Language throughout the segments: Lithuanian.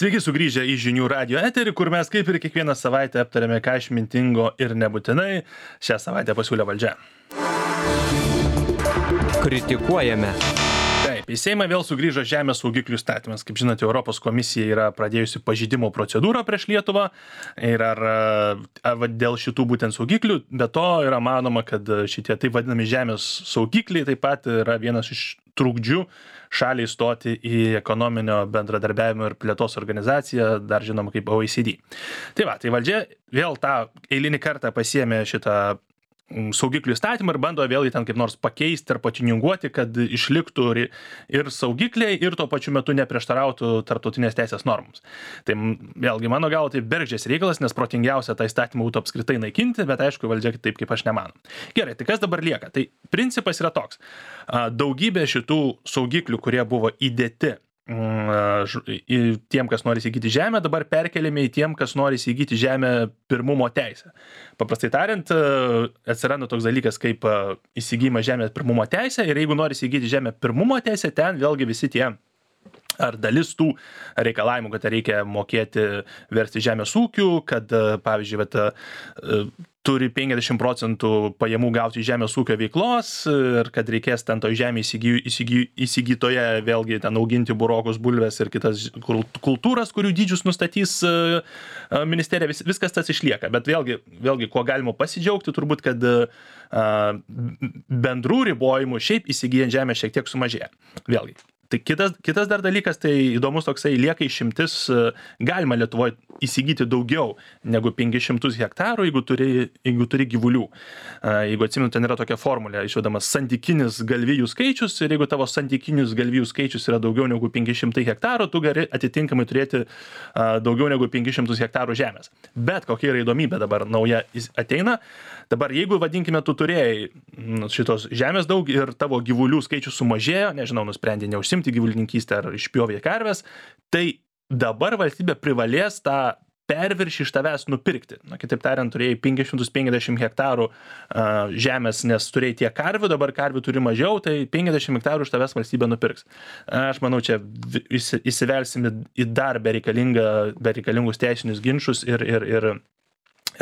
Sveiki sugrįžę į Žinių radijo eterį, kur mes kaip ir kiekvieną savaitę aptarėme ką išmintingo ir nebūtinai šią savaitę pasiūlė valdžia. Kritikuojame. Taip, į Seimą vėl sugrįžo žemės saugiklių įstatymas. Kaip žinote, Europos komisija yra pradėjusi pažeidimo procedūrą prieš Lietuvą ir ar dėl šitų būtent saugiklių, be to yra manoma, kad šitie taip vadinami žemės saugikliai taip pat yra vienas iš trukdžių šaliai stoti į ekonominio bendradarbiavimo ir plėtos organizaciją, dar žinoma kaip OECD. Tai valdžia vėl tą eilinį kartą pasiėmė šitą saugiklių įstatymą ir bando vėl jį ten kaip nors pakeisti ar patininguoti, kad išliktų ir saugikliai ir tuo pačiu metu neprieštarautų tarptautinės teisės normoms. Tai vėlgi mano galva tai bergždžias reikalas, nes protingiausia tą įstatymą būtų apskritai naikinti, bet aišku valdžia taip kaip aš nemanu. Gerai, tai kas dabar lieka? Tai principas yra toks. Daugybė šitų saugiklių, kurie buvo įdėti tiem, kas nori įsigyti žemę, dabar perkeliame į tiem, kas nori įsigyti žemę pirmumo teisę. Paprastai tariant, atsiranda toks dalykas kaip įsigymas žemės pirmumo teisė ir jeigu nori įsigyti žemę pirmumo teisę, ten vėlgi visi tie ar dalis tų reikalavimų, kad reikia mokėti versti žemės ūkių, kad, pavyzdžiui, turi 50% pajamų gauti žemės ūkio veiklos ir kad reikės ten to žemė įsigytoje vėlgi ten auginti burokus, bulves ir kitas kultūras, kurių dydžius nustatys ministerija, viskas tas išlieka. Bet vėlgi kuo galima pasidžiaugti, turbūt, kad bendrų ribojimų šiaip įsigyjant žemę šiek tiek sumažėja. Vėlgi. Tai kitas dar dalykas, tai įdomus toksai lieka išimtis, galima Lietuvoje įsigyti daugiau negu 500 hektarų, jeigu turi gyvulių. Jeigu atsimenu, ten yra tokia formulė, išvedamas santykinis galvijų skaičius ir jeigu tavo santykinis galvijų skaičius yra daugiau negu 500 hektarų, tu gali atitinkamai turėti daugiau negu 500 hektarų žemės. Bet kokia yra įdomybė dabar nauja ateina, dabar jeigu, vadinkime, tu turėjai šitos žemės daug ir tavo gyvulių skaičius sumažėjo, nežinau, nusprendė neužsimti gyvulininkystę ar išpjovė karves, tai dabar valstybė privalės tą perviršį iš tavęs nupirkti. Kitaip tariant, turėjai 550 hektarų žemės, nes turėjai tiek karvių, dabar karvių turi mažiau, tai 50 hektarų iš tavęs valstybė nupirks. Aš manau, čia įsivelsim į dar bereikalingus teisinius ginčus ir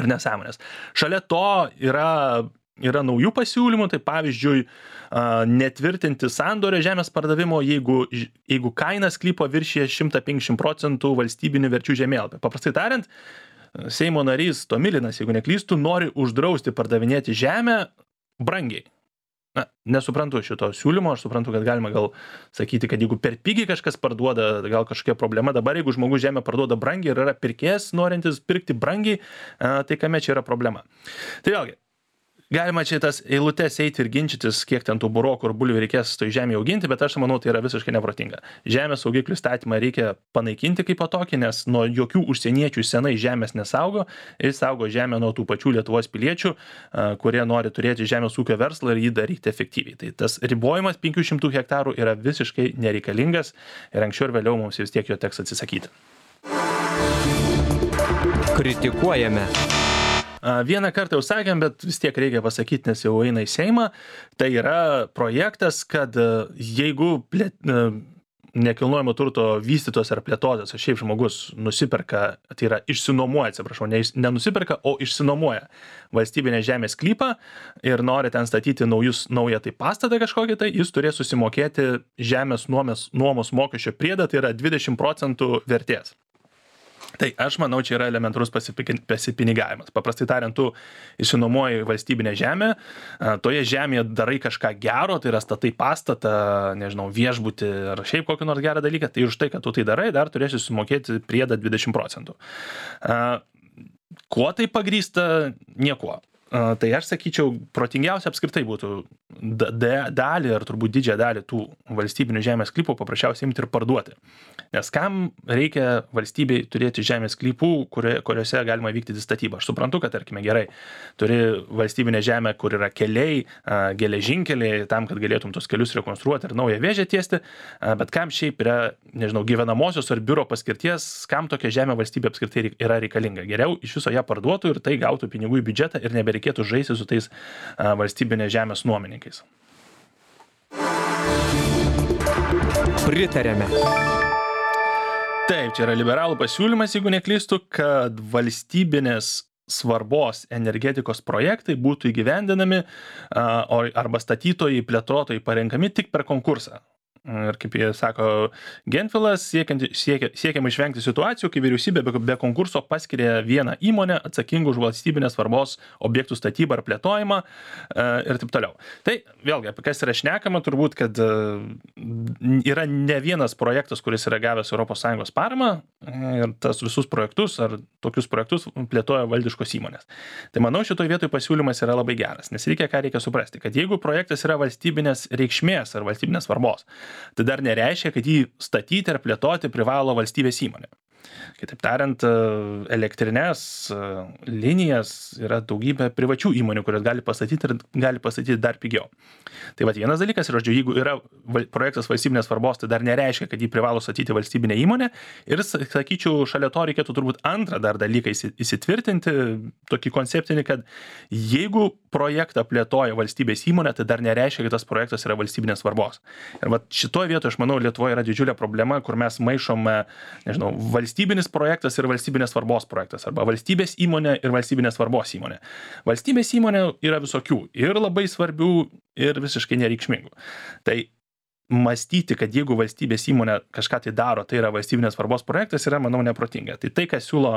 nesąmonės. Šalia to yra naujų pasiūlymų, tai pavyzdžiui, netvirtinti sandorio žemės pardavimo, jeigu kaina sklypo viršyje 150% valstybinių verčių žemėlapį. Paprastai tariant, Seimo narys Tomilinas, jeigu neklystų, nori uždrausti pardavinėti žemę brangiai. Nesuprantu šito siūlymo, aš suprantu, kad galima gal sakyti, kad jeigu per pigiai kažkas parduoda, gal kažkokia problema, dabar jeigu žmogus žemę parduoda brangiai ir yra pirkėjas norintis pirkti brangiai, tai kame čia yra problema. Tai vėlgi, galima čia tas eilutes eiti ir ginčytis, kiek ten tų burokų ir bulvių reikės toj žemėje auginti, bet aš manau, tai yra visiškai neprotinga. Žemės saugiklių įstatymą reikia panaikinti kaip tokį, nes nuo jokių užsieniečių senai žemės nesaugo ir saugo žemę nuo tų pačių Lietuvos piliečių, kurie nori turėti žemės ūkio verslą ir jį daryti efektyviai. Tai tas ribojimas 500 hektarų yra visiškai nereikalingas ir anksčiau ir vėliau mums vis tiek jo teks atsisakyti. Kritikuojame. Vieną kartą jau sakėm, bet vis tiek reikia pasakyti, nes jau eina į Seimą. Tai yra projektas, kad jeigu nekilnojamo turto vystytos ar plėtotas, o šiaip žmogus nusiperka, tai yra išsinuomoja, nenusiperka, o išsinuomoja valstybinę žemės sklypą ir nori ten statyti naują tai pastatą kažkokį, tai jis turės susimokėti žemės nuomos mokesčio priedą, tai yra 20% vertės. Tai aš manau, čia yra elementarus pasipinigavimas. Paprastai tariant, tu išsinuomoji valstybinę žemę, toje žemėje darai kažką gero, tai yra statai pastatą, nežinau, viešbutį ar šiaip kokį nors gerą dalyką, tai už tai, kad tu tai darai, dar turėsi sumokėti priedą 20%. Kuo tai pagrįsta? Niekuo. Tai aš sakyčiau, protingiausia apskritai būtų dalį ar turbūt didžiąją dalį tų valstybinių žemės sklypų paprasčiausiai imti ir parduoti. Nes kam reikia valstybei turėti žemės sklypų, kuriuose galima vykdyti statybą? Aš suprantu, kad, tarkime, gerai, turi valstybinę žemę, kur yra keliai, geležinkeliai, tam, kad galėtum tos kelius rekonstruoti ir naują vėžę tiesti, bet kam šiaip yra, nežinau, gyvenamosios ar biuro paskirties, kam tokia žemė valstybė apskritai yra reikalinga. Geriau iš viso ją parduotų ir tai gautų pinigų į biudžetą ir nebereikėtų žaisti su tais valstybinės žemės nuomininkais. Pritarėme. Taip, čia yra liberalų pasiūlymas, jeigu neklystu, kad valstybinės svarbos energetikos projektai būtų įgyvendinami arba statytojai, plėtotojai parenkami tik per konkursą. Ir kaip jie sako, Gentvilas siekiama išvengti situacijų, kai vyriausybė be konkurso paskiria vieną įmonę atsakingą už valstybinės svarbos objektų statybą ar plėtojimą ir taip toliau. Tai vėlgi, apie kas yra šnekama, turbūt, kad yra ne vienas projektas, kuris yra gavęs ES paramą ir tas visus projektus ar tokius projektus plėtoja valdiškos įmonės. Tai manau, šitoj vietoj pasiūlymas yra labai geras, nes reikia suprasti, kad jeigu projektas yra valstybinės reikšmės ar valstybinės svarbos, tai dar nereiškia, kad jį statyti ar plėtoti privalo valstybės įmonė. Kitaip tariant, elektrinės linijas yra daugybė privačių įmonių, kurios gali pastatyti ir gali pastatyti dar pigiau. Tai vienas dalykas yra, jeigu yra projektas valstybinės svarbos, tai dar nereiškia, kad jį privalo statyti valstybinė įmonė. Ir sakyčiau, šalia to reikėtų turbūt antrą dar dalyką įsitvirtinti, tokį konceptinį, kad jeigu projektą plėtoja valstybės įmonė, tai dar nereiškia, kad tas projektas yra valstybinės svarbos. Ir šitoje vietoje, aš manau, Lietuvoje yra didžiulė problema, kur mes maišome, valstybinis projektas ir valstybinės svarbos projektas, arba valstybės įmonė ir valstybinės svarbos įmonė. Valstybės įmonė yra visokių ir labai svarbių ir visiškai nereikšmingų. Tai mąstyti, kad jeigu valstybės įmonė kažką tai daro, tai yra valstybinės svarbos projektas, yra, manau, neprotinga. Tai kas siūlo,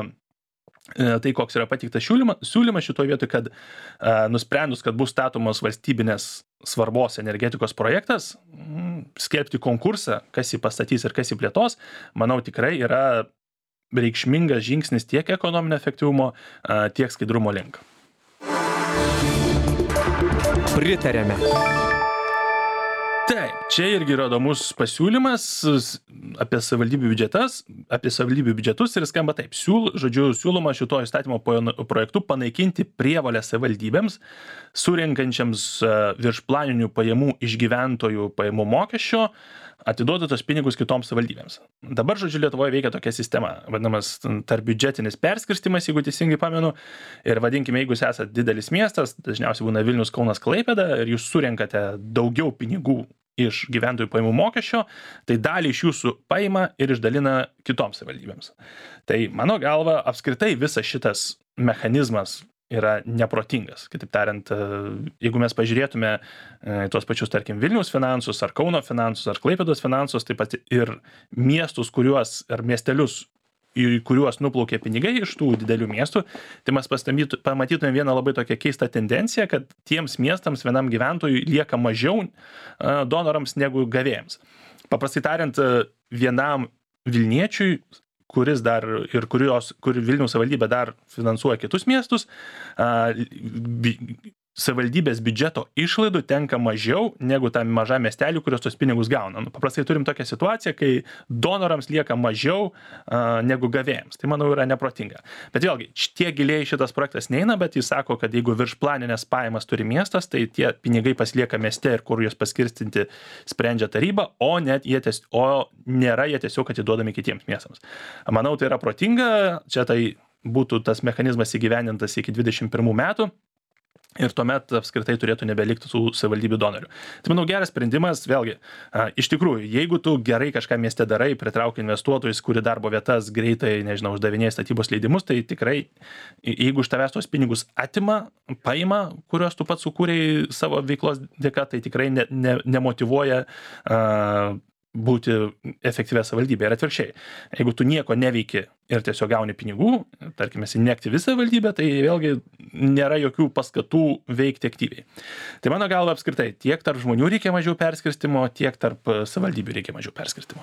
tai koks yra pateiktas siūlymas šitoje vietoje, kad nusprendus, kad bus statomos valstybinės svarbos energetikos projektas, skelbti konkursą, kas jį pastatys ir kas jį plėtos, manau, tikrai yra reikšmingas žingsnis tiek ekonominio efektyvumo, tiek skaidrumo link. Pritarėme. Taip, čia irgi yra įdomus pasiūlymas apie savivaldybių biudžetus ir skamba taip. Siūloma šito įstatymo projektu panaikinti prievolę savivaldybėms, surinkančiams viršplaninių pajamų iš gyventojų pajamų mokesčio, atiduoti tos pinigus kitoms savivaldybėms. Dabar, Lietuvoje veikia tokia sistema, vadinamas tarpbiudžetinis perskirstymas, jeigu teisingai pamenu. Ir vadinkime, jeigu jūs esate didelis miestas, dažniausiai būna Vilnius, Kaunas, Klaipėda, ir jūs surenkate daugiau pinigų iš gyventojų pajamų mokesčio, tai dalį iš jūsų paima ir išdalina kitoms savivaldybėms. Tai mano galva, apskritai visas šitas mechanizmas yra neprotingas. Kitaip tariant, jeigu mes pažiūrėtume tuos pačius, tarkim, Vilniaus finansus, ar Kauno finansus, ar Klaipėdos finansus, taip pat ir miestus, ar miestelius, į kuriuos nuplaukė pinigai iš tų didelių miestų, tai mes pamatytume vieną labai tokią keistą tendenciją, kad tiems miestams vienam gyventojui lieka mažiau donorams negu gavėjams. Paprastai tariant, vienam Vilniečiui, kur Vilniaus savivaldybė dar finansuoja kitus miestus, savivaldybės biudžeto išlaidų tenka mažiau negu tam mažam miesteliui, kurios tos pinigus gauna. Paprastai turim tokią situaciją, kai donorams lieka mažiau negu gavėjams. Tai, manau, yra neprotinga. Bet vėlgi, tiek giliai šitas projektas neina, bet jis sako, kad jeigu viršplaninės pajamas turi miestas, tai tie pinigai pasilieka mieste ir kur juos paskirstinti sprendžia taryba, o nėra jie tiesiog atiduodami kitiems miestams. Manau, tai yra protinga. Čia tai būtų tas mechanizmas įgyvendintas iki 2021 metų. Ir tuomet apskritai turėtų nebelikti tų savivaldybių donorių. Tai, manau, geras sprendimas, vėlgi, iš tikrųjų, jeigu tu gerai kažką mieste darai, pritraukia investuotojus, kuri darbo vietas greitai, uždavinėja statybos leidimus, tai tikrai, jeigu iš tavęs tos pinigus paima, kuriuos tu pats sukūrei savo veiklos dėka, tai tikrai nemotyvuoja būti efektyvia savivaldybė. Ir atvirkščiai, jeigu tu nieko neveiki ir tiesiog gauni pinigų, tarkime, esi neaktyvi savivaldybė, tai vėlgi nėra jokių paskatų veikti aktyviai. Tai mano galva apskritai, tiek tarp žmonių reikia mažiau perskirstimo, tiek tarp savivaldybių reikia mažiau perskirstimo.